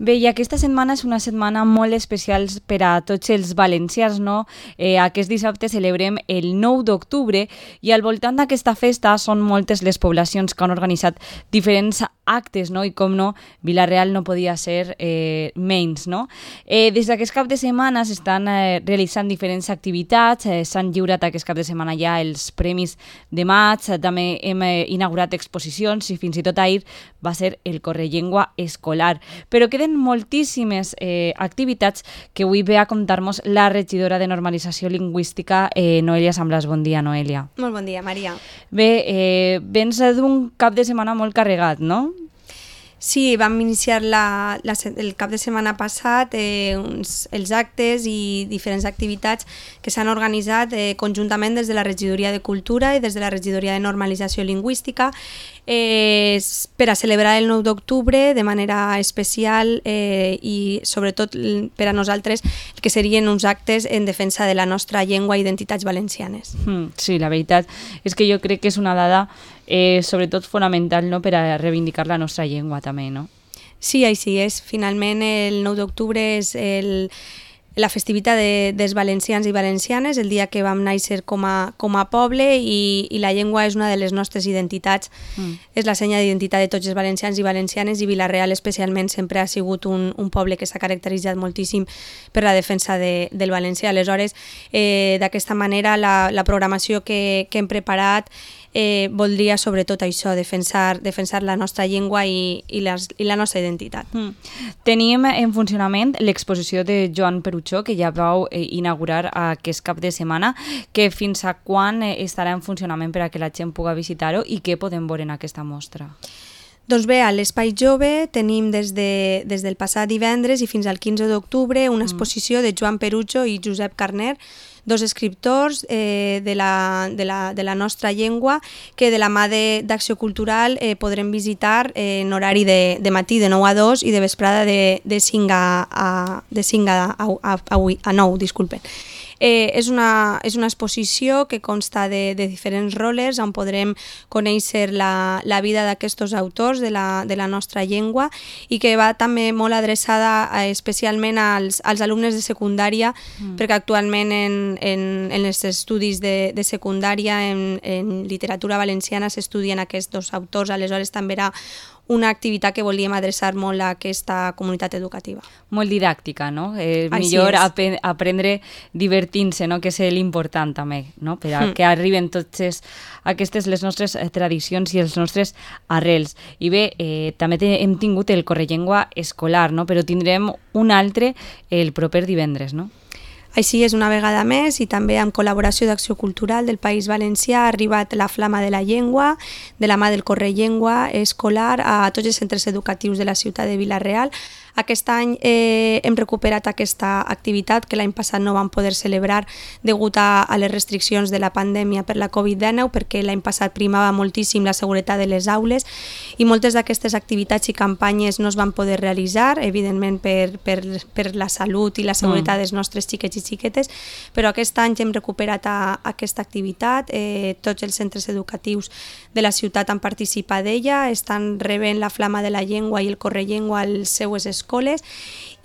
Bé, i aquesta setmana és una setmana molt especial per a tots els valencians, no? Aquest dissabte celebrem el 9 d'octubre i al voltant d'aquesta festa són moltes les poblacions que han organitzat diferents actes, no? I com no, Vila-real no podia ser menys, no? Des d'aquest cap de setmana s'estan realitzant diferents activitats, s'han lliurat aquest cap de setmana ja els premis de maig, també hem inaugurat exposicions i fins i tot ahir va ser el Correllengua escolar. Però queden moltíssimes activitats que avui ve a contar-nos la regidora de Normalització Lingüística, Noelia Samblas. Bon dia, Noelia. Molt bon dia, Maria. Bé, vens d'un cap de setmana molt carregat, no? Sí, vam iniciar el cap de setmana passat els actes i diferents activitats que s'han organitzat conjuntament des de la Regidoria de Cultura i des de la Regidoria de Normalització Lingüística per a celebrar el 9 d'octubre de manera especial i sobretot per a nosaltres que serien uns actes en defensa de la nostra llengua i identitats valencianes. Sí, la veritat és que jo crec que és una dada sobretot fonamental, no?, per a reivindicar la nostra llengua també, no? Sí, així és. Finalment el 9 d'octubre és la festivitat dels valencians i valencianes, el dia que vam néixer com a poble i la llengua és una de les nostres identitats, és la senya d'identitat de tots els valencians i valencianes i Vila-real especialment sempre ha sigut un poble que s'ha caracteritzat moltíssim per la defensa del valencià. Aleshores, d'aquesta manera la programació que hem preparat voldria sobretot això, defensar la nostra llengua i la nostra identitat. Tenim en funcionament l'exposició de Joan Peruchó, que ja vau inaugurar aquest cap de setmana, que fins a quan estarà en funcionament per a que la gent pugui visitar-ho i què podem veure en aquesta mostra? Doncs bé, a l'Espai Jove tenim des del passat divendres i fins al 15 d'octubre una exposició de Joan Peruchó i Josep Carner, dos escriptors de la nostra llengua que de la mà d'Acció Cultural podrem visitar en horari de matí de 9 a 2 i de vesprada de 5 a 9, disculpen. És una exposició que consta de diferents roles on podrem conèixer la vida d'aquests autors de la nostra llengua i que va també molt adreçada especialment als alumnes de secundària, perquè actualment en els estudis de secundària en literatura valenciana s'estudien aquests dos autors, aleshores també era una activitat que volíem adreçar molt a aquesta comunitat educativa. Molt didàctica, no? Millor aprendre divertint-se, no?, que és l'important també, no?, per a que arriben totes aquestes les nostres tradicions i els nostres arrels. I bé, també hem tingut el Correllengua escolar, no?, però tindrem un altre el proper divendres, no? Així és, una vegada més, i també amb col·laboració d'Acció Cultural del País Valencià ha arribat la Flama de la Llengua, de la mà del Correllengua escolar, a tots els centres educatius de la ciutat de Vila-real. Aquest any hem recuperat aquesta activitat que l'any passat no vam poder celebrar degut a les restriccions de la pandèmia per la Covid-19, perquè l'any passat primava moltíssim la seguretat de les aules i moltes d'aquestes activitats i campanyes no es van poder realitzar, evidentment per la salut i la seguretat dels nostres xiquets i xiquetes, però aquest any hem recuperat aquesta activitat, tots els centres educatius de la ciutat han participat d'ella, estan rebent la Flama de la Llengua i el Correllengua a les seues escoles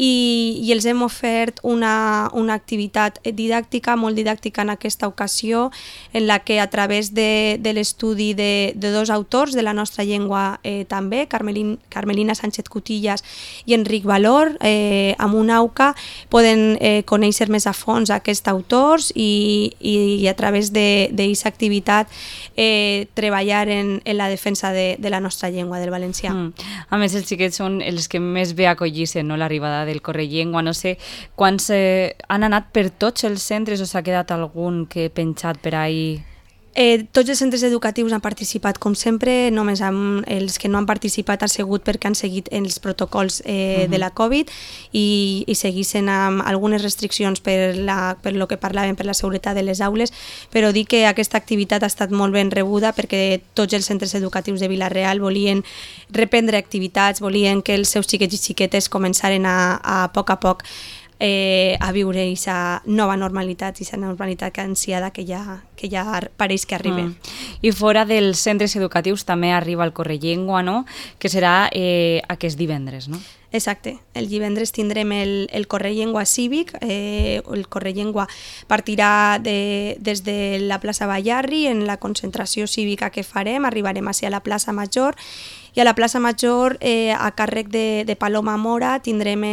i els hem ofert una activitat didàctica, molt didàctica en aquesta ocasió, en la que a través de l'estudi de dos autors de la nostra llengua també, Carmelina Sánchez Cutillas i Enric Valor, amb una AUCA poden conèixer més a fons aquests autors i a través d'aquesta activitat treballar en la defensa de la nostra llengua, del valencià. A més, els xiquets són els que més bé acollisen, no?, l'arribada del Correllengua. No sé quants han anat per tots els centres o s'ha quedat algun que he penjat per ahí? Tots els centres educatius han participat com sempre, només els que no han participat han sigut perquè han seguit els protocols de la Covid i seguissin amb algunes restriccions per lo que parlaven, per la seguretat de les aules, però dic que aquesta activitat ha estat molt ben rebuda perquè tots els centres educatius de Vila-real volien reprendre activitats, volien que els seus xiquets i xiquetes començaren a poc a viure aquesta nova normalitat, aquesta normalitat ansiada que ja pareix que arriba. I fora dels centres educatius també arriba el Correllengua, no?, que serà aquest divendres, no? Exacte. El divendres tindrem el Correllengua cívic. El Correllengua partirà des de la plaça Ballarri. En la concentració cívica que farem arribarem a la plaça Major, i a la plaça Major, a càrrec de Paloma Mora, tindrem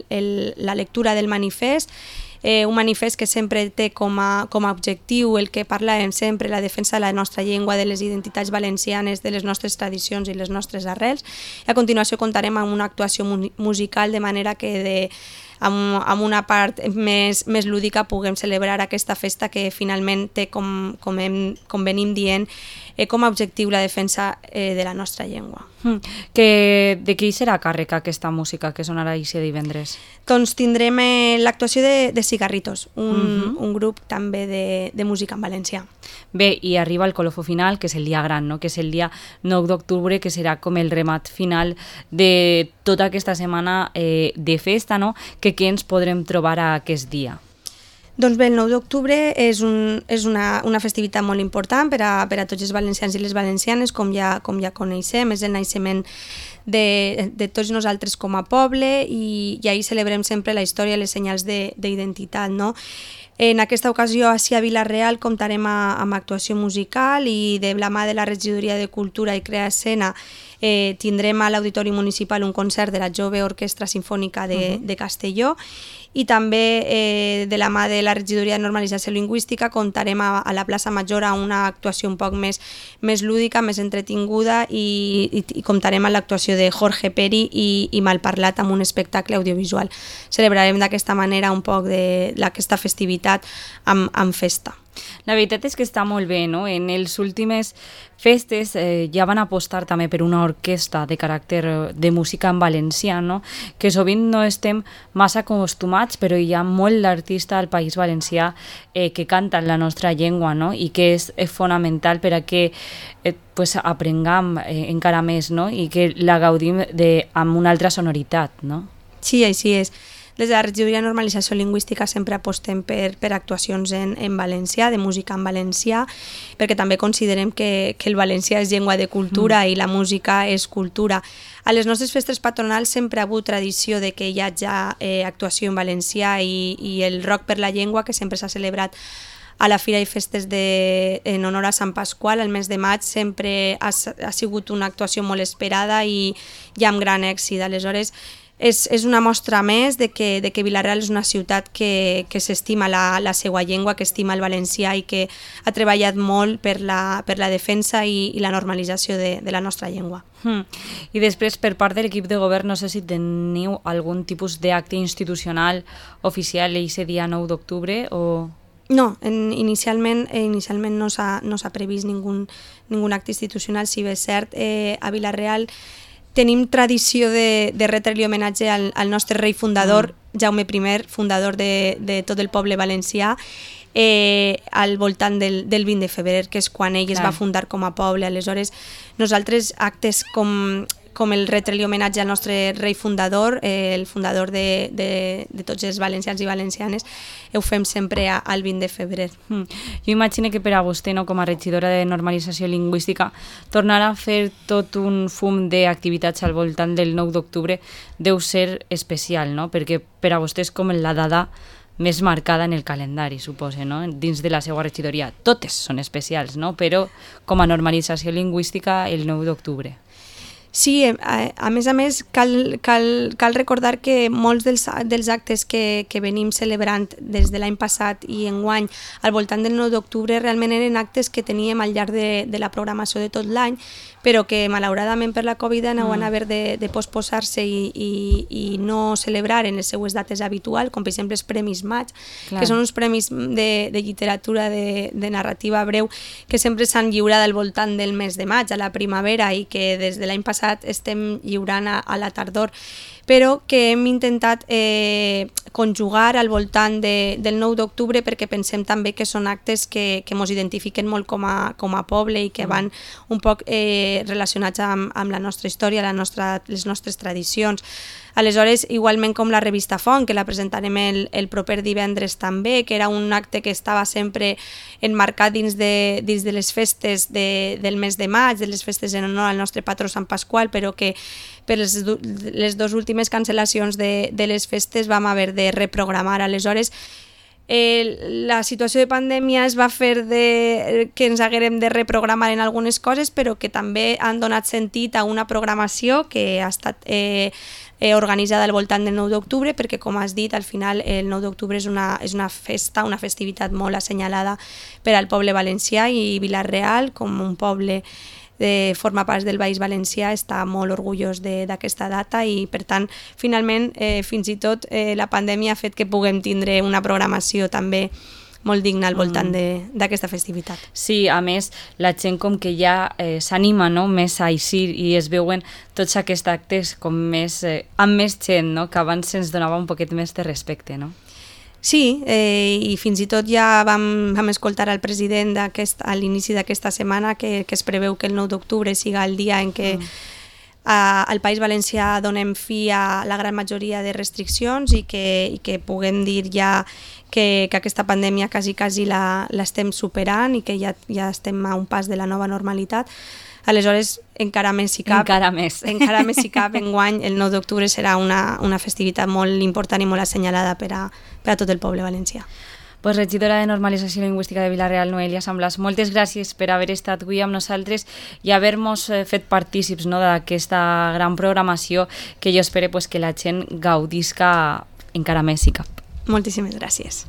la lectura del manifest, un manifest que sempre té com a objectiu el que parlàvem sempre, la defensa de la nostra llengua, de les identitats valencianes, de les nostres tradicions i les nostres arrels. I a continuació comptarem amb una actuació musical, de manera que amb una part més lúdica puguem celebrar aquesta festa que finalment té, com venim dient, com a objectiu la defensa de la nostra llengua. De qui serà càrrec aquesta música que sonarà aquest divendres? Doncs tindrem l'actuació de Cigarritos, un grup també de música en valencià. Bé, i arriba el colofó final, que és el dia gran, no? Que és el dia 9 d'octubre, que serà com el remat final de tota aquesta setmana de festa, no? Que què ens podrem trobar a aquest dia? Doncs bé, el 9 d'octubre és una festivitat molt important per a tots els valencians i les valencianes, com ja coneixem, és el naixement de tots nosaltres com a poble, i ahir celebrem sempre la història i les senyals d'identitat, no? En aquesta ocasió, a Vila-real, comptarem amb actuació musical, i de la mà de la Regidoria de Cultura i Crea Escena tindrem a l'Auditori Municipal un concert de la Jove Orquestra Simfònica de Castelló, i també de la mà de la Regidoria de Normalització Lingüística comptarem a la plaça Major a una actuació un poc més lúdica, més entretinguda, i comptarem amb l'actuació de Jorge Peri i Malparlat, amb un espectacle audiovisual. Celebrarem d'aquesta manera un poc d'aquesta festivitat amb festa. La veritat és que està molt bé, no? En les últimes festes ja van apostar també per una orquestra de caràcter de música en valencià, no? Que sovint no estem massa acostumats, però hi ha molt d'artista al País Valencià que canta en la nostra llengua, no? I que és fonamental per a que aprenguem encara més, no? I que la gaudim amb una altra sonoritat, no? Sí, així és. Des de la Regidoria de Normalització Lingüística sempre apostem per actuacions en valencià, de música en valencià, perquè també considerem que el valencià és llengua de cultura i la música és cultura. A les nostres festes patronals sempre ha hagut tradició de que hi hagi actuació en valencià, i el Rock per la Llengua, que sempre s'ha celebrat a la Fira i Festes en honor a Sant Pasqual, el mes de maig, sempre ha sigut una actuació molt esperada i amb gran èxit. Aleshores, és una mostra més de que Vila-real és una ciutat que s'estima la seva llengua, que estima el valencià i que ha treballat molt per la defensa i la normalització de la nostra llengua. I després, per part de l'equip de govern, no sé si teniu algun tipus d'acte institucional oficial aquest dia 9 d'octubre o... No, inicialment no s'ha previst ningun acte institucional. Si bé és cert, a Vila-real tenim tradició de retre-li homenatge al nostre rei fundador, Jaume I, fundador de tot el poble valencià, al voltant del 20 de febrer, que és quan ell es va fundar com a poble. Aleshores, nosaltres actes com el retre-li homenatge al nostre rei fundador, el fundador de tots els valencians i valencianes, ho fem sempre al 20 de febrer. Jo imagino que per a vostè, no, com a regidora de normalització lingüística, tornar a fer tot un fum d'activitats al voltant del 9 d'octubre deu ser especial, no? Perquè per a vostè és com la data més marcada en el calendari, suposo, no? Dins de la seva regidoria. Totes són especials, no? Però com a normalització lingüística el 9 d'octubre. Sí, a més, cal recordar que molts dels actes que venim celebrant des de l'any passat i enguany al voltant del 9 d'octubre realment eren actes que teníem al llarg de la programació de tot l'any, però que malauradament per la Covid no van haver de posposar-se i no celebrar en les seues dates habituals, com per exemple els Premis Maig, que són uns premis de literatura, de narrativa breu, que sempre s'han lliurat al voltant del mes de maig, a la primavera, i que des de l'any passat estem lliurant a la tardor, però que hem intentat conjugar al voltant del 9 d'octubre perquè pensem també que són actes que ens identifiquen molt com a poble i que van un poc relacionats amb la nostra història, les nostres tradicions. Aleshores, igualment com la revista Font, que la presentarem el proper divendres també, que era un acte que estava sempre enmarcat dins de les festes del mes de maig, de les festes en honor al nostre patró Sant Pasqual, però que per les dues últimes cancel·lacions de les festes vam haver de reprogramar. Aleshores, la situació de pandèmia es va fer que ens haguérem de reprogramar en algunes coses, però que també han donat sentit a una programació que ha estat organitzada al voltant del 9 d'octubre, perquè, com has dit, al final el 9 d'octubre és una festa, una festivitat molt assenyalada per al poble valencià, i Vila-real, com un poble forma part del Baix Valencià, està molt orgullós d'aquesta data, i per tant, finalment, fins i tot la pandèmia ha fet que puguem tindre una programació també molt digna al voltant d'aquesta festivitat. Sí, a més, la gent com que ja s'anima, no?, més a eixir, i es veuen tots aquests actes com més, amb més gent, no?, que abans se'ns donava un poquet més de respecte, no? Sí, i fins i tot ja vam escoltar al president a l'inici d'aquesta setmana que es preveu que el 9 d'octubre siga el dia en què al País Valencià donem fi a la gran majoria de restriccions, i que puguem dir ja que aquesta pandèmia quasi l'estem superant, i que ja estem a un pas de la nova normalitat. Aleshores, encara més si cap, enguany el 9 d'octubre serà una festivitat molt important i molt assenyalada per a tot el poble valencià. Pues, regidora de Normalització Lingüística de Vila-real, Noelia Samblas, moltes gràcies per haver estat avui amb nosaltres i haver-nos fet partícips, no, d'aquesta gran programació que jo espero que la gent gaudisca encara més si cap. Moltíssimes gràcies.